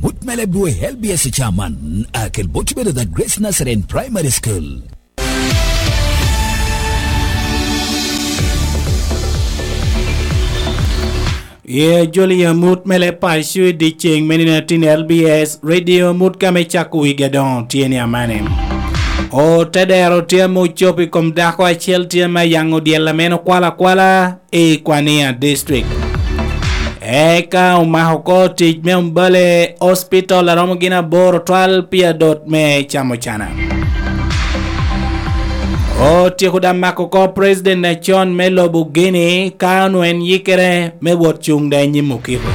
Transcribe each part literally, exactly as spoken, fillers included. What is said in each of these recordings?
Mut me leb dwe L B S chairman, akel bot bedo the Grace Nazarene Primary School. Ye joli amut me leb paco i dyeceŋ me nino atin L B S Radio, mut ka me cako wigi adoŋo tye ni amane. Otedero tye ame ocobo i kom dako acel tye ame ayaŋo dyel ame en okwalo akwala i Kwania District. Eka omako oko tic me Mbale Hospital aromo gin aboro twal pi adot me camo cana. Otyeko daŋ mako oko president acon me lobo Guinea ka onwo en yikere me wot cuŋ da i nyim okiko.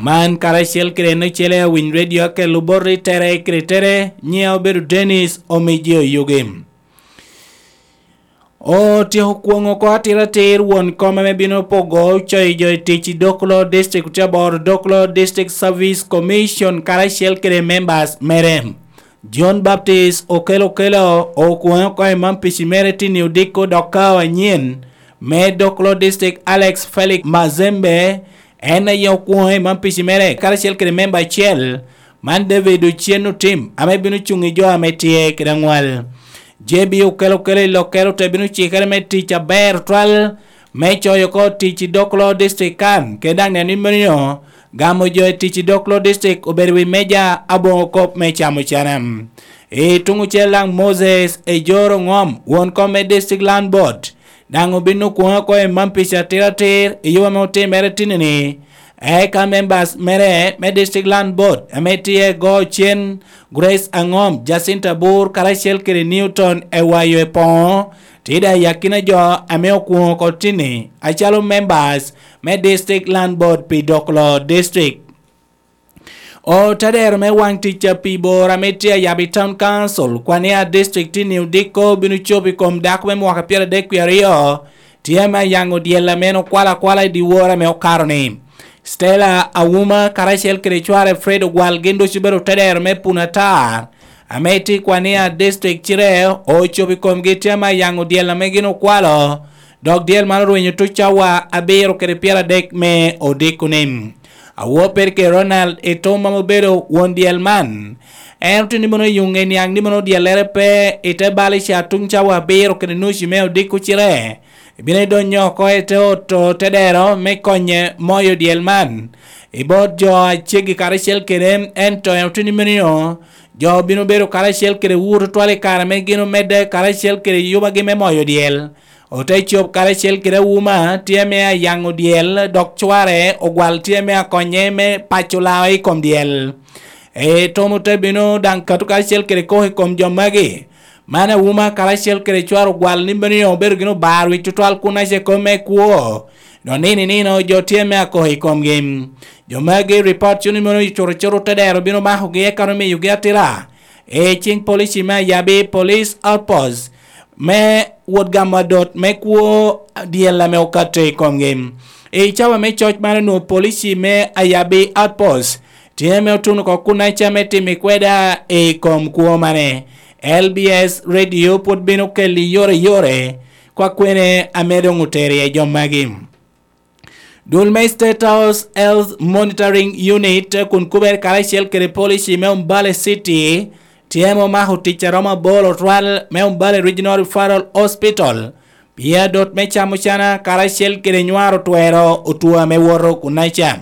Man karacel kede en ocele awiny radio akelo bot i tere kede tere, nyiŋa obedo Dennis Omiji Oyugi. Otyeko kwoŋo oko atiratir won kom ame bino pogo coyo jo i tic i Dokolo District, otye aboro Dokolo District Service Commission karacel kede members mere. John Baptist Okello Okello okwoŋe oko i man pici mere tini odiko dok kao anyen me Dokolo District, Alex Felix Mazembe, en aye okwoŋe i man pici mere karacel kede memba acel, man David Ochen Otim, ame bino cuŋ i jo ame tye kede aŋwal. J B Okello Okello i Lokero te bino cikere me tic aber twal me coyo oko tic i Dokolo District kan, kede daŋ neno ni meno gamo jo i tic i Dokolo District obedo wi meja aboŋo kop me camo cana. I tuŋ ocel daŋ Moses Ejoro Ngom, won kom me District Land Board, daŋ obin okwoŋe oko i man pici atiratir i yo ame otimere tini-ni. Eka members mere me District Land Board ame tye Go Cen, Grace Angom, Jacinta Bur, karacel kede Newton Ewayo Epoŋo, tye daŋ i akina jo ame okwoŋo oko tini acalo members me District Land Board pi Dokolo District. Otadero me waŋ tic a pi bor ame tye ayab i Town Council, Kwania District, tini odiko bino cobo i kom dako me mwaka pyeradek wie aryo, tye ame ayaŋo dyel ame en okwalo akwala i dyewor ame okato-ni. Stella Auma karacel kede cware Fred Ogwal gin ducu obedo otadero me Puno Atar, ame tye i Kwania District, cire ocobo i komgi tye ame ayaŋo dyel ame gin okwalo, dok dyel man orwenyo tuc cawa abiro kede pyeradek me odiko-ni. Awope kede Ronald Etoma ame obedo won dyel man, en otye ni mono yuŋe niaŋ ni mono dyellere pe i te bal i ca tuŋ cawa abiro kede nucu me odiko cire, ibino idonyo oko i te oto te dero me konye moyo dyel man i bot jo a ceggi karacel kede, ento en otye ni meno jo bino bedo karacel kede wu tutwal i kare ame gin omedde karacel kede yubagi me moyo dyel. Ote cob karacel kede Auma tye ame ayaŋo dyel, dok cware Ogwal tye ame akonye me paco lao i kom dyel. Etoma ote bino daŋ kato karacel kede koko i kom jo magi. Man Auma karacel kede cware Ogwal ni meno obedo gin obaro wic tutwal kun ace kop me kwo. Dok nino i nino jo tye ame akoko i komgi. Jo magi ripot cuno ni meno cuto cuto te dero bino makogi eka omiyogi atira i ciŋ polici me Ayabi Police Outpost me wot gamo adot me kwo dyel ame okato i komgi. I cawa me coc man onwoŋo polici me Ayabi Outpost tye ame otuno oko kun aca me timo i kweda i kom kwo mane. L B S Radio pwod bino keli yore yore kwa kwene ame doŋ otero iye jo magi. Dul me State House Health Monitoring Unit kun kubere karacel kede polici me Umbale City tye ame omako tic a romo aboro otwal me Umbale Regional Referral Hospital pi adot me camo cana karacel kede nywaro twero otwo ame woto kunaca.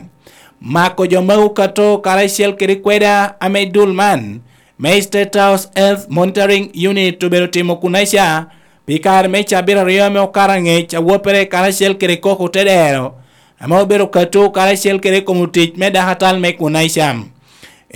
Mako jo ma okato karacel kede kweda ame dul man me State House Health Monitoring Unit obedo timo kunaca pi kare me cabit aryo ame okato angec, awoppere karacel kede koko te dero ame obedo kato karacel kede kom otic me dakatal me kunaca.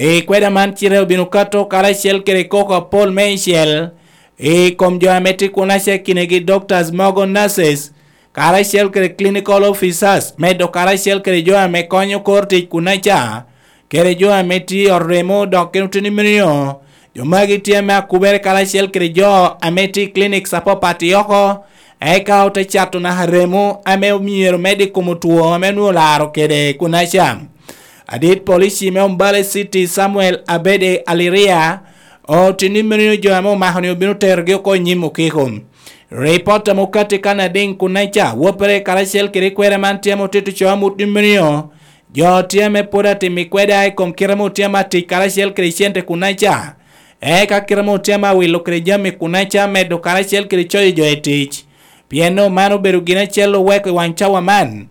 I kweda man cite obino kato karacel kede koko apol meicel i kom jo ame tye kunaca, kinegi doctors mogo, nurses, karacel kede clinical officers, medo karacel kede jo ame konyo kor tic kunaca, kede jo ame tye i ot remo, dok gin oteni meno. Jo magi tye ame akubere karacel kede jo ame tye i clinics apapat i oko, eka ote cato naka remo ame myero med i kom otwo ame onwoŋo olaro kede kunaca. Adit polici me Umbale City, Samuel Abede Aliria, oteni meno jo ame omako-ni obino terogi oko i nyim okiko. Ripot ame okatti kan adiŋ kunaca, woppere karacel kede kwera man tye ame otito co amut ni meno Jo tye ame pwod atimo kweda i kom kite ame otye ame atic karacel kede cente kunaca, eka kite ame otye ame awilo kede jami kunaca medo karacel kede coyo jo i tic. Pien no, man obedo gin acel oweko i wang cawa man.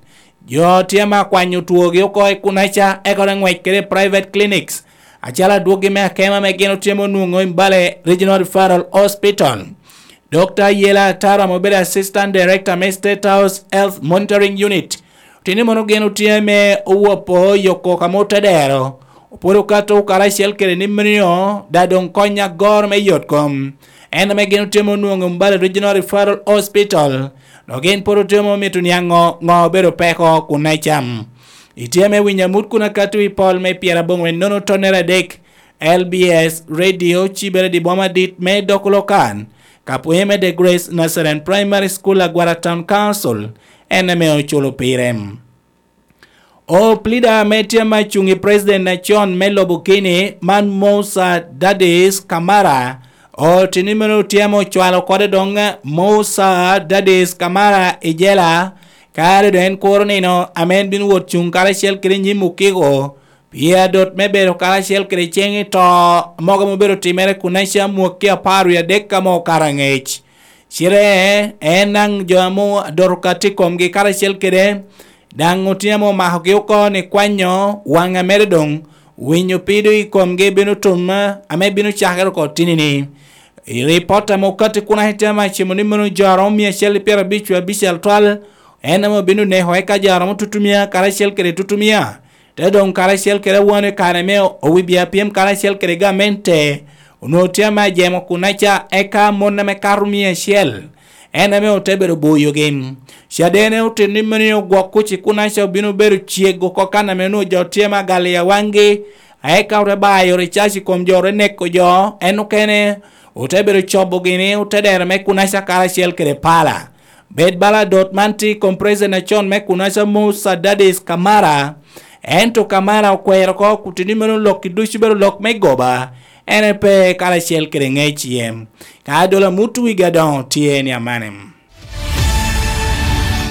Jo tye ame akwanyo twogi oko i kunaca, eka ote ngwec kede i private clinics, acalo adwoggi me akema ame gin otye ame onwoŋo i Mbale Regional Referral Hospital. Dokta Yela Ataro ame obedo Assistant Director me State House Health Monitoring Unit, otye ni mono gin otye ame owopo yo kok ame otedero, opwodo kato karacel kede ni meno, da doŋ kony agoro me yot kom. En ame gin otye ame onwoŋo i Mbale Regional Referral Hospital, dok gin pwod otye ame omito niaŋ ŋo, ŋo obedo peko kun acam. Itye ame winyo amut kun akato i pol me pyeraboŋwen nono tonnere adek, L B S Radio, cibere di boma dit me Dokolokan, ka pwonye me The Grace Nazarene Primary School, Agwara Town Council, en ame oculo pire. Oplida ame tye ame acuŋ i president acon me lobo kini, man Musa Dadis Kamara, otini meno tye ame ocwalo kode doŋ Musa Dadis Kamara i jela, kare doŋ en kuro nino ame en bino wot cuŋ karacel kede nyim okiko, pien adot me bedo karacel kede ceŋ i to mogo ame obedo timere kun aca mwakki apar wie adek ame okato aŋec. Cite en daŋ jo ame adot okato i komgi karacel kede, daŋ otye ame omakogi oko ni kwanyo waŋ amere doŋ winyo pido i komgi bino tum ame bino cakere oko tini-ni. I ripot ame okatti kun aca tye ame acimo ni meno jo aromo mia acel i pyerabic wie abicel twal, en ame obino neko eka jo aromo tutumia karacel kede tutumia. Te doŋ karacel kede awano i kare me owibia pyem karacel kede gamente, onwoŋo tye ame ajemo kunaca, eka mon ame kato mia acel, en ame ote bedo boyogi. Cadene otito ni meno ogwok kuc i kunaca obino bedo cego oko kan ame onwoŋo jo tye ame agal i awaŋgi, eka ote bayo ricac i kom jo, ote neko jo, en okene ote bedo cobogi ni ote dero me kunaca karacel kede pala. Bed bala adot man tye i kom president acon me kunaca Musa Dadis Kamara, ento Kamara okwero oko kutini meno lokki ducu bedo lok me goba, en aye pe karacel kede ŋec yem. Ka adola mut wigi adoŋo tye ni amane.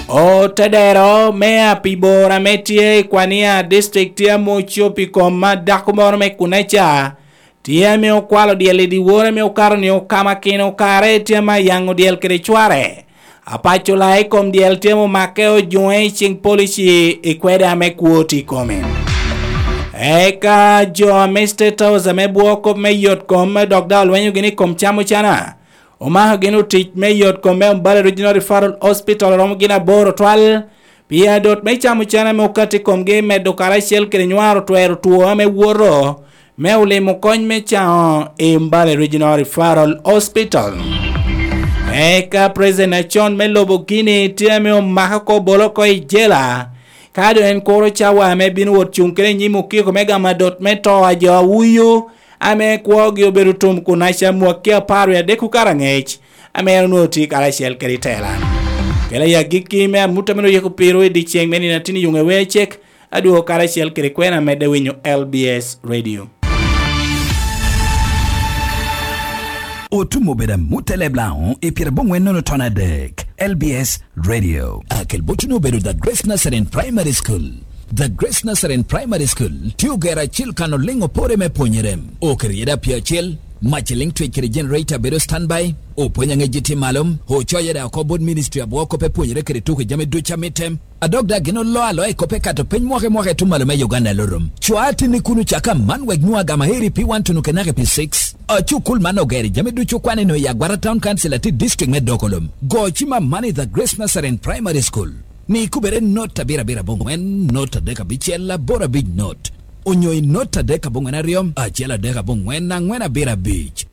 Otedero me apibor ame tye i Kwania District tye ame ocob i kom ma dako moro me kunaca, tye ame okwalo dyel i dyewor ame okato ni okamakino kare tye ame ayaŋo dyel kede cware. Apaco la i kom dyel tye ame omake ojuŋe i ciŋ polici i kwede ame kwo tye i kome. Eka jo ame State House ame bwoo kop me yot kom dok daŋ olwenyo gini i kom camo cana, omako gini otic me yot kom me Mbale Regional Referral Hospital oromo gin aboro twal, pi adot me camo cene ame okatti i komgi medo karacel kede nywaro twero two ame woto me olimo kony me caŋo i Mbale Regional Referral Hospital. Eka president acon me lobo Guinea tye ame omako oko bolo oko i jela, ka doŋ en kuro cawa ame bino wot cuŋ kede i nyim okiko me gamo adot me to a jo awuyu, ame kwogi obedo tum kun aca mwakki apar wie adek okato aŋec, ame en onwoŋo tye karacel kede i tela. Kela i agikki me amut ame oyiko piro i dyeceŋ me nino atin i yuŋ ewecek, adwogo karacel kede kwena medde winyo L B S Radio. Otum obedo amut eleb Laŋo i pyeraboŋwen nono ton adek, L B S Radio. Akel botuni obedo The Grace Nazarene Primary School. The Grace Nazarene Primary School tye ogero acil kan oliŋ opore me pwonyere. Oketo yeda pye acel, mac eliŋ twec kede generator bedo standby, opwony aŋec tye malo, ocoyo da oko bot ministry abwoo kop epwonyere kede tuko jami ducu amitte. Adok da gin olo aloa i kop ekato piny mwaka i mwaka i tum malo me Uganda lorom. Cwa atini kun ocaka man wek nwoŋo agama heri pi wan tunu kenake pi six. Acukul man ogero jami ducu kwan eno i Agwara Town Council ati district me Dokolom. Go cima man i The Grace Nazarene Primary School. Ni kubere not abiro abiro aboŋwen, not adek abicel, aboro abic not. Onyo i not adek aboŋwen aryo, acel adek aboŋwen, aŋwen abiro abic.